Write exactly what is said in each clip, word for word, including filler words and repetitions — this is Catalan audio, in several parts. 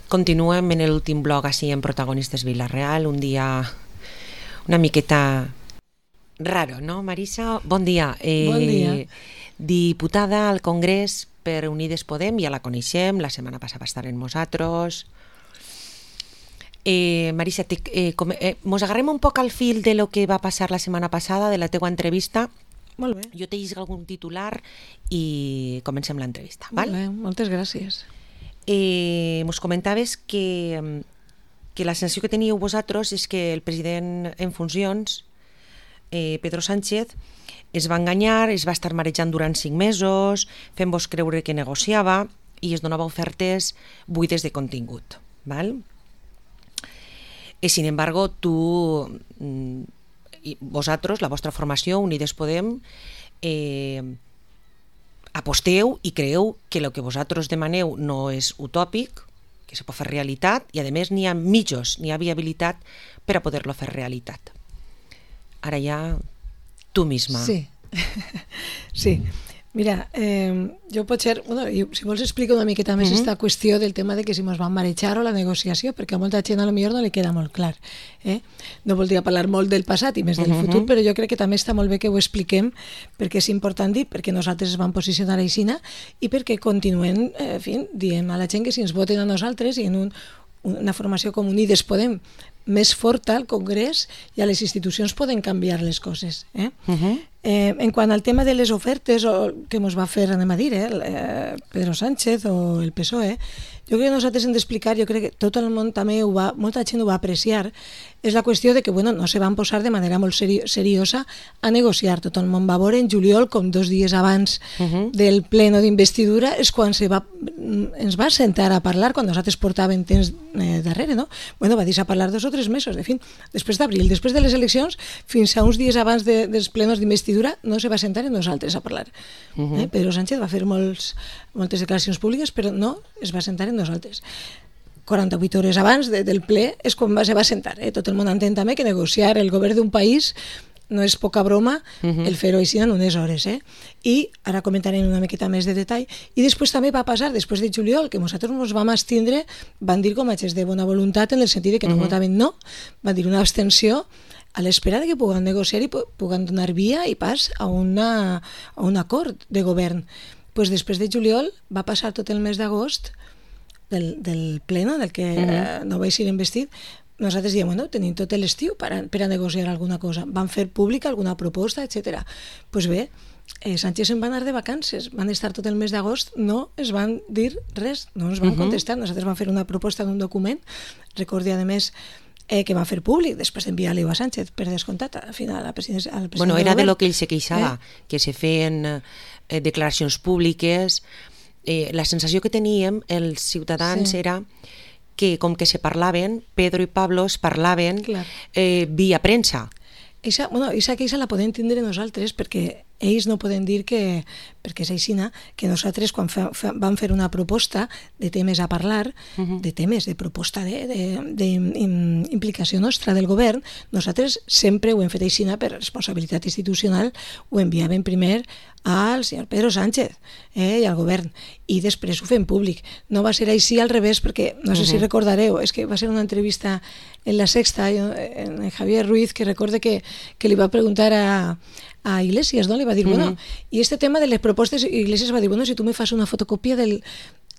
Continuem en l'últim blog així en Protagonistes Vila-real, un dia una miqueta raro, no, Marisa? Bon dia. Eh, bon dia. Diputada al Congrés per Unides Podem, ja la coneixem, la setmana passada va estar amb nosaltres. Eh, Marisa, te, eh, com, eh, mos agarrem un poc al fil de lo que va passar la setmana passada, de la teua entrevista. Molt bé. Jo te llisc algun titular i comencem l'entrevista. Molt bé, moltes gràcies. Eh, mos comentaves que, que la sensació que teníeu vosaltres és que el president en funcions, eh, Pedro Sánchez, es va enganyar, es va estar marejant durant cinc mesos, fent-vos creure que negociava i es donava ofertes buides de contingut. Val? Eh, sin embargo, tu, vosaltres, la vostra formació, Unides Podem, eh, aposteu i creeu que el que vosaltres demaneu no és utòpic, que se pot fer realitat, i a més n'hi ha mitjos, n'hi ha viabilitat per a poder-lo fer realitat. Ara ja tu misma. Sí, sí. Mira, eh, jo potser, bueno, si vols explico una miqueta més aquesta uh-huh. qüestió del tema de que si ens van marejar o la negociació, perquè a molta gent a lo millor no li queda molt clar. Eh? No voldria parlar molt del passat i més del uh-huh. futur, però jo crec que també està molt bé que ho expliquem, perquè és important dir, perquè nosaltres es vam posicionar aixina i perquè continuem, eh, en fi, diem a la gent que si ens voten a nosaltres i en un, una formació com Unides Podem més forta al Congrés i a les institucions poden canviar les coses. Eh? Uh-huh. Eh, en quant al tema de les ofertes o que ens va fer, anem a dir, eh, Pedro Sánchez o el P S O E, jo crec que nosaltres hem d'explicar, jo crec que tot el món també ho va, molta gent ho va apreciar, és la qüestió de que bueno, no se van posar de manera molt seri- seriosa a negociar. Tot el món va veure en juliol, com dos dies abans uh-huh. del pleno d'investidura, és quan se va, ens va sentar a parlar, quan nosaltres portàvem temps eh, darrere, no? Bueno, va dir a parlar dos o tres mesos, de fin, després d'abril, després de les eleccions, fins a uns dies abans de, dels plenos d'investidura, no se va sentar amb nosaltres a parlar. Uh-huh. Eh? Pedro Sánchez va fer molts, moltes declaracions públiques, però no es va sentar amb nosaltres. quaranta-vuit hores abans de, del ple és quan va, se va sentar. Eh? Tot el món entén també que negociar el govern d'un país no és poca broma uh-huh. el fer-ho així en unes hores. Eh? I ara comentarem una miqueta més de detall. I després també va passar, després de juliol, que nosaltres ens vam abstindre, van dir com a gest de bona voluntat en el sentit que no uh-huh. votaven no, van dir una abstenció a l'espera de que puguen negociar i puguen donar via i pas a, una, a un acord de govern. Pues després de juliol va passar tot el mes d'agost del, del pleno, del que uh-huh. eh, no vaig ser investit. Nosaltres diem, bueno, tenim tot l'estiu per a, per a negociar alguna cosa. Van fer pública alguna proposta, etcètera. Doncs pues bé, eh, Sánchez se'n va anar de vacances, van estar tot el mes d'agost, no es van dir res, no ens van uh-huh. contestar. Nosaltres vam fer una proposta d'un document, recordi a més eh, que va fer públic, després d'enviar-li a Sánchez, per descomptat, al final al president, al president bueno, era de lo que ell se queixava, eh? que se feien eh, declaracions públiques. Eh, la sensació que teníem els ciutadans sí. era que com que se parlaven, Pedro i Pablo es parlaven eh, via premsa. Eixa, bueno, eixa queixa la podem tindre nosaltres perquè ells no poden dir que, perquè és aixina, que nosaltres quan fa, fa, vam fer una proposta de temes a parlar, uh-huh. de temes, de proposta d'implicació nostra del govern, nosaltres sempre ho hem fet aixina per responsabilitat institucional, ho enviàvem primer al senyor Pedro Sánchez eh, i al govern, i després ho fem públic. No va ser així al revés, perquè no sé uh-huh. si recordareu, és que va ser una entrevista en La Sexta, en Javier Ruiz, que recorde que, que li va preguntar a a Iglesias, ¿no? Le va a decir, uh-huh. bueno, y este tema de les propostes, Iglesias va dir, bueno, si tu me fas una fotocòpia del,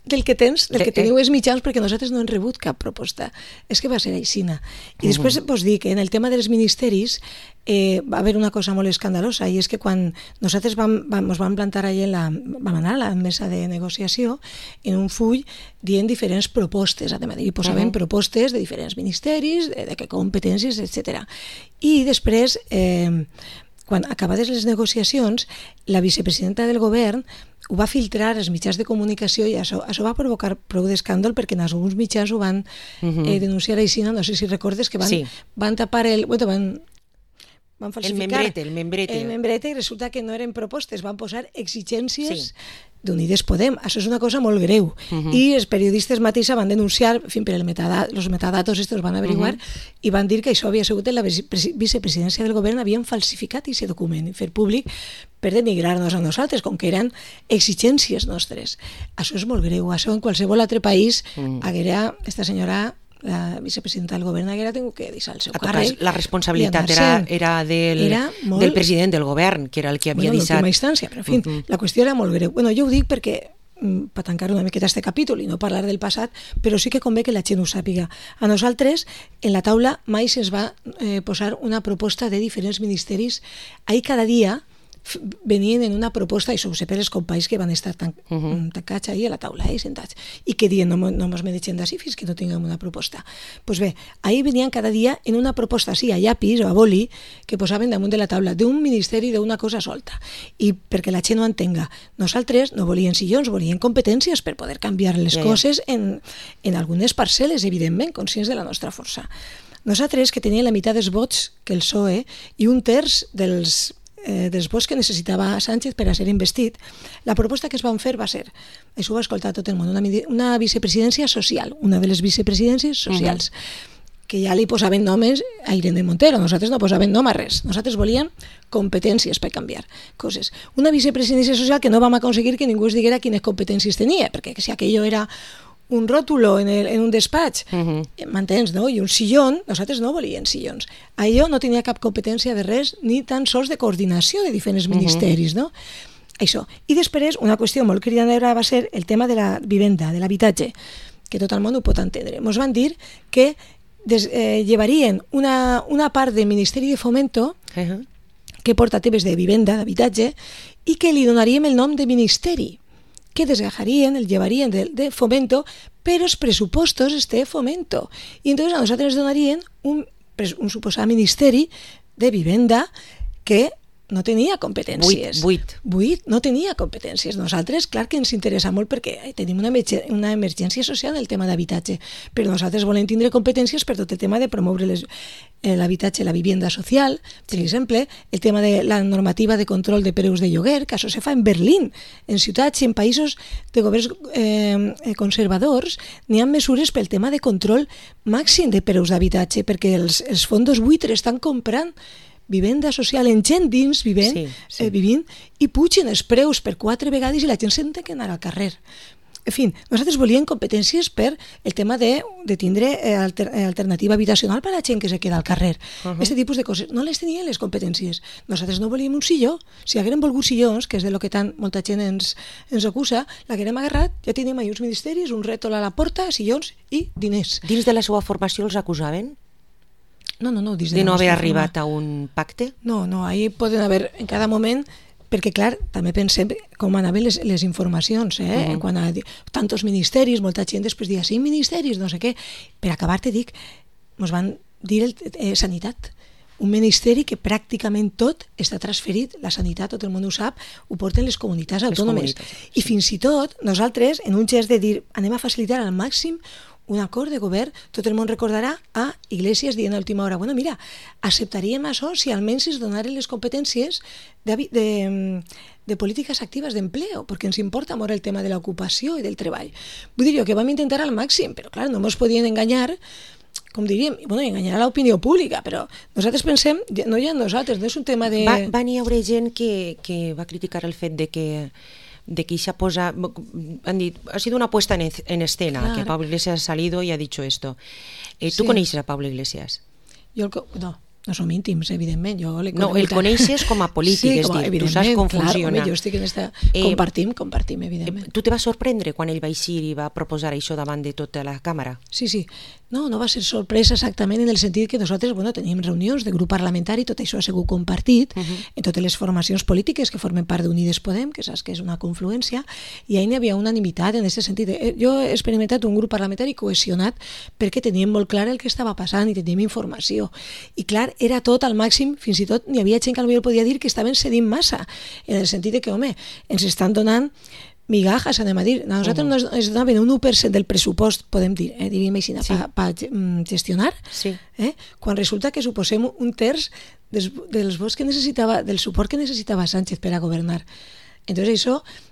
del que tens, del que teniu els mitjans, perquè nosaltres no hem rebut cap proposta. És que va ser aixina. I després uh-huh. vos dic que en el tema dels ministeris eh, va haver una cosa molt escandalosa, i és que quan nosaltres vam, vam, ens vam plantar allà en la, vam anar a la mesa de negociació en un full dient diferents propostes, a dir, i posaven uh-huh. propostes de diferents ministeris, de, de què competències, etcètera. I després eh, quan acabades les negociacions, la vicepresidenta del govern ho va filtrar als mitjans de comunicació i això, això va provocar prou d'escàndol perquè en alguns mitjans ho van uh-huh. eh, denunciar així, no sé si recordes que van, sí. van tapar el... Bueno, van, van falsificar el membrete, el membrete. El membrete, i resulta que no eren propostes, van posar exigències sí. d'Unides Podem. Això és una cosa molt greu. Uh -huh. I els periodistes mateixa van denunciar, en fi, per el metadatos, els metadatos estos van averiguar, uh -huh. i van dir que això havia sigut en la vicepresidència del govern, havien falsificat aquest document i fer públic per denigrar-nos a nosaltres, com que eren exigències nostres. Això és molt greu. Això en qualsevol altre país uh -huh. haguera esta senyora, la vicepresidenta del govern, haguera tingut que deixar el seu càrrec. La responsabilitat era, era, del, era molt, del president del govern, que era el que havia bueno, deixat... En última instància, però en fi, uh -huh. la qüestió era molt greu. Bueno, jo ho dic perquè, per tancar una miqueta este capítol i no parlar del passat, però sí que convé que la gent ho sàpiga. A nosaltres, en la taula, mai se'ns va eh, posar una proposta de diferents ministeris. Ahir cada dia venien en una proposta, i ho sé per els companys que van estar tan, uh -huh. tancats ahir a la taula, eh, sentats, i que diuen no, no mos mereixem d'ací fins que no tinguem una proposta. Doncs pues bé, ahir venien cada dia en una proposta, sí, a llapis o a boli, que posaven damunt de la taula d'un ministeri d'una cosa solta. I perquè la gent no entenga, nosaltres no volíem sillons, volíem competències per poder canviar les yeah, coses en, en algunes parcel·les, evidentment, conscients de la nostra força. Nosaltres, que teníem la meitat dels vots que el P S O E i un terç dels Eh, dels vots que necessitava Sánchez per a ser investit, la proposta que es van fer va ser, això ho va escoltar tot el món, una, una vicepresidència social, una de les vicepresidències socials, uh-huh. que ja li posaven nomes a Irene Montero, nosaltres no posaven nom a res, nosaltres volíem competències per canviar coses. Una vicepresidència social que no vam aconseguir que ningú es diguera quines competències tenia, perquè si aquello era un rótulo en, el, en un despatx, uh-huh. m'entens, no? I un sillón, nosaltres no volíem sillons. Allò no tenia cap competència de res, ni tan sols de coordinació de diferents ministeris, uh-huh. no? Això. I després, una qüestió molt cridanera va ser el tema de la vivenda, de l'habitatge, que tot el món ho pot entendre. Ens van dir que des, eh, llevarien una, una part del Ministeri de Fomento, uh-huh. que porta temes de vivenda, d'habitatge, i que li donaríem el nom de ministeri, que desgajarien, el llevarien de, de Fomento, però els pressupostos este Fomento. I entonces a nosaltres ens donarien un, un suposat ministeri de vivenda que no tenia competències. Buit, buit. Buit, no tenia competències. Nosaltres, clar que ens interessa molt perquè tenim una, emergència, una emergència social en el tema d'habitatge, però nosaltres volem tindre competències per tot el tema de promoure les, eh, l'habitatge, la vivenda social, per exemple, el tema de la normativa de control de preus de lloguer, que això se fa en Berlín, en ciutats i en països de governs eh, conservadors, n'hi ha mesures pel tema de control màxim de preus d'habitatge, perquè els, els fondos buitres estan comprant vivenda social en gent dins vivent, sí, sí. Eh, vivint i pugen els preus per quatre vegades i la gent se'n té que anar al carrer. En fi, nosaltres volíem competències per el tema de, de tindre eh, alter, alternativa habitacional per a la gent que se queda al carrer. Uh-huh. Aquest tipus de coses. No les tenien les competències. Nosaltres no volíem un silló. Si haguérem volgut sillons, que és de lo que tant molta gent ens, ens acusa, l'haguérem agarrat, ja tenim ahí uns ministeris, un rètol a la porta, sillons i diners. Dins de la seva formació els acusaven? No, no, no. De, de no haver arribat forma. A un pacte? No, no, ahí poden haver en cada moment, perquè clar, també pensem com anaven les, les informacions, eh? Uh-huh. Quan a tantos ministeris, molta gent després dia cinc ministeris, no sé què. Per acabar te dic, ens van dir el, eh, sanitat. Un ministeri que pràcticament tot està transferit, la sanitat, tot el món ho sap, ho porten les comunitats autònomes. Les comunitats, sí. I fins i tot, nosaltres, en un gest de dir anem a facilitar al màxim un acord de govern, tot el món recordarà a Iglesias dient a última hora, bueno, mira, acceptaríem això si almenys es donaren les competències de, de, de polítiques actives d'empleo, perquè ens importa molt el tema de l'ocupació i del treball. Vull dir jo que vam intentar al màxim, però clar, no ens podien enganyar, com diríem, bueno, enganyar a l'opinió pública, però nosaltres pensem, no hi ha nosaltres, no és un tema de... Va, van hi haure gent que, que va criticar el fet de que de que se posa, han dit, ha sido una puesta en, en escena, claro. Que Pablo Iglesias ha salido y ha dicho esto. Eh, ¿Tú sí. conoces a Pablo Iglesias? Yo no, no som íntims, evidentment. Jo no, el coneixes com a polític, sí, és com, dir, tu saps com clar, funciona. Home, jo estic en esta... Compartim, eh, compartim, evidentment. Tu te va sorprendre quan ell va eixir i va proposar això davant de tota la càmera? Sí, sí. No, no va ser sorpresa exactament en el sentit que nosaltres, bueno, teníem reunions de grup parlamentari, tot això ha sigut compartit uh-huh. en totes les formacions polítiques que formen part d'Unides Podem, que saps que és una confluència, i ahir hi havia unanimitat en aquest sentit. Jo he experimentat un grup parlamentari cohesionat perquè teníem molt clar el que estava passant i teníem informació. I clar, era tot al màxim, fins i tot n'hi havia gent que potser podia dir que estaven cedint massa, en el sentit de que, home, ens estan donant migajas, anem a dir. A nosaltres uh-huh. nos, ens donaven un u per cent del pressupost, podem dir, eh, diríem així, sí. per pa, gestionar, sí. eh, quan resulta que suposem un terç dels, dels vots que necessitava, del suport que necessitava Sánchez per a governar. Entonces això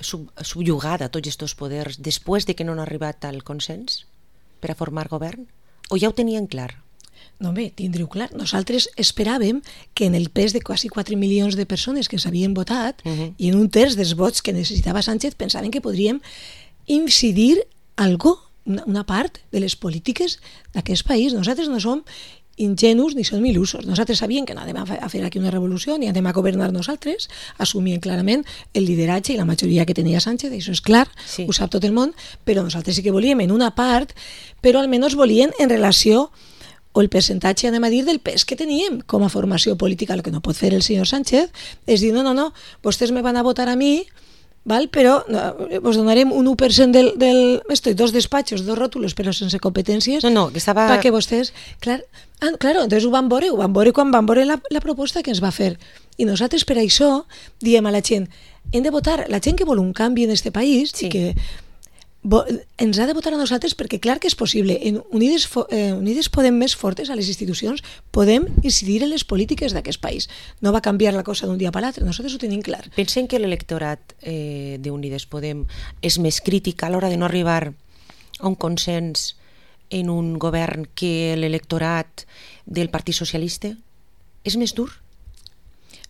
sub, subjugada tots aquests poders després de que no han arribat al consens per a formar govern? O ja ho tenien clar? No, bé, tindreu clar. Nosaltres esperàvem que en el pes de quasi quatre milions de persones que s'havien votat uh -huh. i en un terç dels vots que necessitava Sánchez pensaven que podríem incidir algo, una, una part de les polítiques d'aquest país. Nosaltres no som ingenus ni som il·lusos. Nosaltres sabíem que no anem a fer aquí una revolució ni anem a governar nosaltres, assumien clarament el lideratge i la majoria que tenia Sánchez, això és clar, sí. Ho sap tot el món, però nosaltres sí que volíem en una part, però almenys volien en relació o el percentatge, anem a dir, del pes que teníem com a formació política. El que no pot fer el senyor Sánchez és dir, no, no, no, vostès me van a votar a mi, val? Però no, vos donarem un u per cent del, del... Estoy, dos despatxos, dos rótulos, però sense competències. No, no, que estava... Perquè vostès... Clar, ah, claro, entonces ho van veure, ho van veure quan van veure la, la proposta que ens va fer. I nosaltres per això diem a la gent, hem de votar, la gent que vol un canvi en este país, sí. que ens ha de votar a nosaltres perquè clar que és possible. En Unides, eh, Unides Podem més fortes a les institucions podem incidir en les polítiques d'aquest país. No va canviar la cosa d'un dia per l'altre, nosaltres ho tenim clar. Pensen que l'electorat eh, d'Unides Podem és més crític a l'hora de no arribar a un consens en un govern que l'electorat del Partit Socialista? És més dur?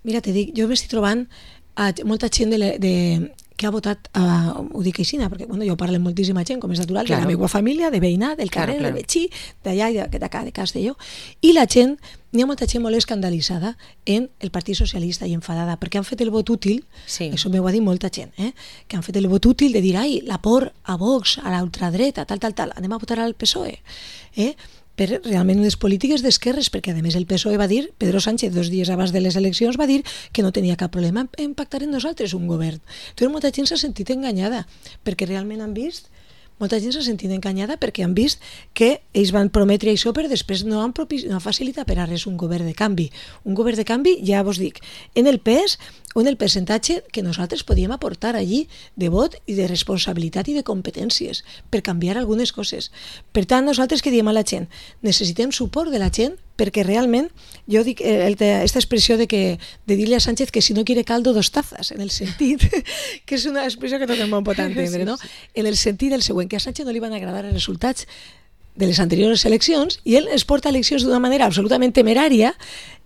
Mira, te dic, jo m'estic trobant a molta gent de, de, que ha votat, uh, ho dic així, perquè bueno, jo parlo amb moltíssima gent, com és natural, claro. De la meva família, de veïnat, del carrer, claro, claro. de Betxí, d'allà i d'acá, de Castelló, i la gent, n'hi ha molta gent molt escandalitzada en el Partit Socialista i enfadada, perquè han fet el vot útil, sí. Això m'ho ha dit molta gent, eh? Que han fet el vot útil de dir, ai, la por a Vox, a l'ultradreta, tal, tal, tal, anem a votar al P S O E, eh? Per realment unes polítiques d'esquerres, perquè a més el P S O E va dir, Pedro Sánchez dos dies abans de les eleccions va dir que no tenia cap problema en pactar en nosaltres un govern. Entonces molta gent s'ha sentit enganyada, perquè realment han vist, molta gent s'ha sentit enganyada perquè han vist que ells van prometre això però després no han, propi, no han facilitat per a res un govern de canvi. Un govern de canvi, ja vos dic, en el pes o en el percentatge que nosaltres podíem aportar allí de vot i de responsabilitat i de competències per canviar algunes coses. Per tant, nosaltres que diem a la gent, necessitem suport de la gent perquè realment, jo dic aquesta expressió de, que, de dir-li a Sánchez que si no quiere caldo, dos tazas, en el sentit, que és una expressió que tot el món pot entendre, no? En el sentit del següent, que a Sánchez no li van agradar els resultats de les anteriors eleccions i ell es porta a eleccions d'una manera absolutament temerària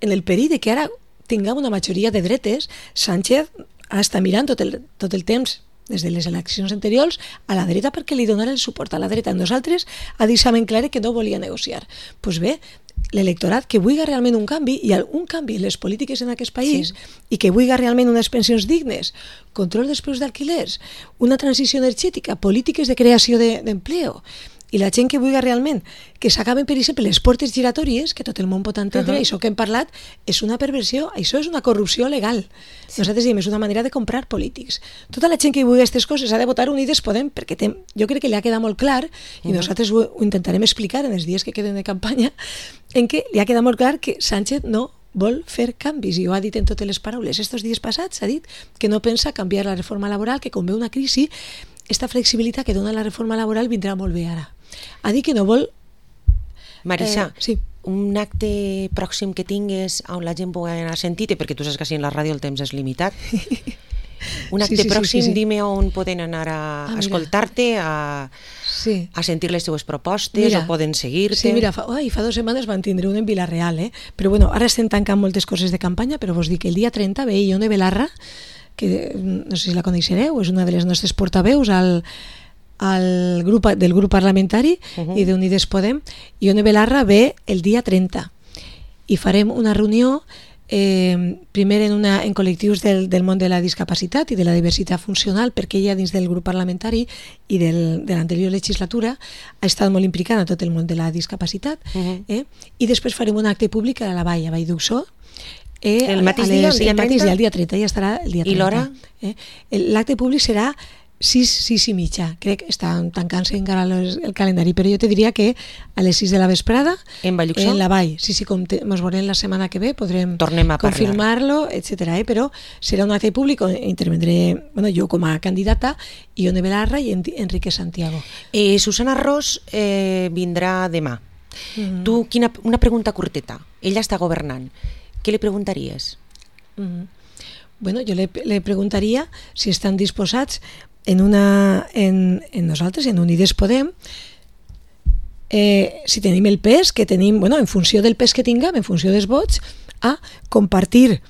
en el perill de que ara tinguem una majoria de dretes. Sánchez està mirant tot el, tot el temps des de les eleccions anteriors a la dreta perquè li donarà el suport a la dreta. Nosaltres ha deixat ben clar que no volia negociar. Doncs pues bé, l'electorat que vulgui realment un canvi i un canvi en les polítiques en aquest país sí. I que vulgui realment unes pensions dignes, control dels preus d'alquilers, una transició energètica, polítiques de creació d'empleo, i la gent que vulgui realment que s'acaben, per exemple, les portes giratòries, que tot el món pot entendre, uh-huh. Això que hem parlat és una perversió, això és una corrupció legal. Sí. Nosaltres diem, és una manera de comprar polítics. Tota la gent que vulgui aquestes coses ha de votar Unides Podem, perquè tem, jo crec que li ha quedat molt clar, i uh-huh. Nosaltres ho, ho intentarem explicar en els dies que queden de campanya, en què li ha quedat molt clar que Sánchez no vol fer canvis, i ho ha dit en totes les paraules. Estos dies passats ha dit que no pensa canviar la reforma laboral, que com ve una crisi, esta flexibilitat que dona la reforma laboral vindrà molt bé ara. Ha dit que no vol... Marisa, eh, sí. Un acte pròxim que tingues on la gent pugui anar a sentir-te, perquè tu saps que si en la ràdio el temps és limitat. Un acte sí, sí, pròxim, sí, sí, sí. Dime on poden anar a, ah, a escoltar-te, a, sí. A sentir les teves propostes, mira, o poden seguir-te. Sí, mira, fa, oi, fa dues setmanes van tindre un en Vila-real, eh? Però bueno, ara estem tancant moltes coses de campanya, però vos dic que el dia trenta ve Ione Belarra, que no sé si la coneixereu, és una de les nostres portaveus al, al grup, del grup parlamentari uh-huh. I d'Unides Podem. Ione Belarra ve el dia trenta i farem una reunió eh, primer en, una, en col·lectius del, del món de la discapacitat i de la diversitat funcional, perquè ella dins del grup parlamentari i del, de l'anterior legislatura ha estat molt implicada en tot el món de la discapacitat uh-huh. eh? I després farem un acte públic a la Vall, a Vall d'Uxó. Eh, el mateix dia, el dia trenta? El mateix dia, el dia trenta, ja estarà el dia trenta. I l'hora? Eh? L'acte públic serà sis, sis i mitja. Crec que estan tancant-se encara el, el calendari, però jo te diria que a les sis de la vesprada en Vall d'Uxó? En la Vall. Sí, sí, com te, mos veurem la setmana que ve, podrem confirmar-lo, etcètera. Eh? Però serà un acte públic on intervendré, bueno, jo com a candidata, Ione Belarra i Enrique Santiago. Eh, Susana Ros eh, vindrà demà. Mm-hmm. Tu, quina, una pregunta curteta. Ella està governant. Què li preguntaries? Mm-hmm. bueno, jo le, le preguntaria si estan disposats en, una, en, en nosaltres, en Unides Podem, eh, si tenim el pes que tenim, bueno, en funció del pes que tinguem, en funció dels vots, a compartir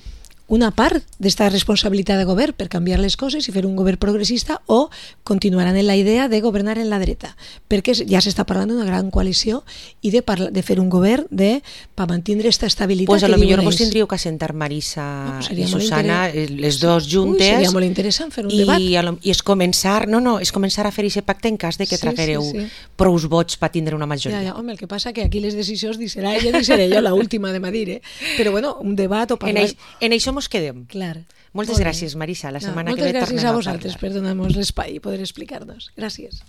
una part d'esta responsabilitat de govern per canviar les coses i fer un govern progressista, o continuaran en la idea de governar en la dreta, perquè ja s'està parlant d'una gran coalició i de, parla, de fer un govern de, per mantenir aquesta estabilitat. Pues a que lo millor diuen vos ells. tindríeu que sentar Marisa No, pues i seria molt Susana, inter- les dos juntes, Ui, seria molt interessant fer un i, debat. a lo- i és començar, no, no, és començar a fer aquest pacte en cas de que Sí, traguereu sí, sí. prous vots per tindre una Ja, majoria. ja, home, el que passa que aquí les decisions ni serà ella ni seré jo l'última de dir, eh? Però bueno, un debat o En, parlar... eix, en això mos quedem. Clar. Moltes Molt bé. gràcies, Marisa. La No, setmana que moltes ve gràcies tornem a a vosaltres parlar. per donar-nos l'espai i poder explicar-nos. Gràcies.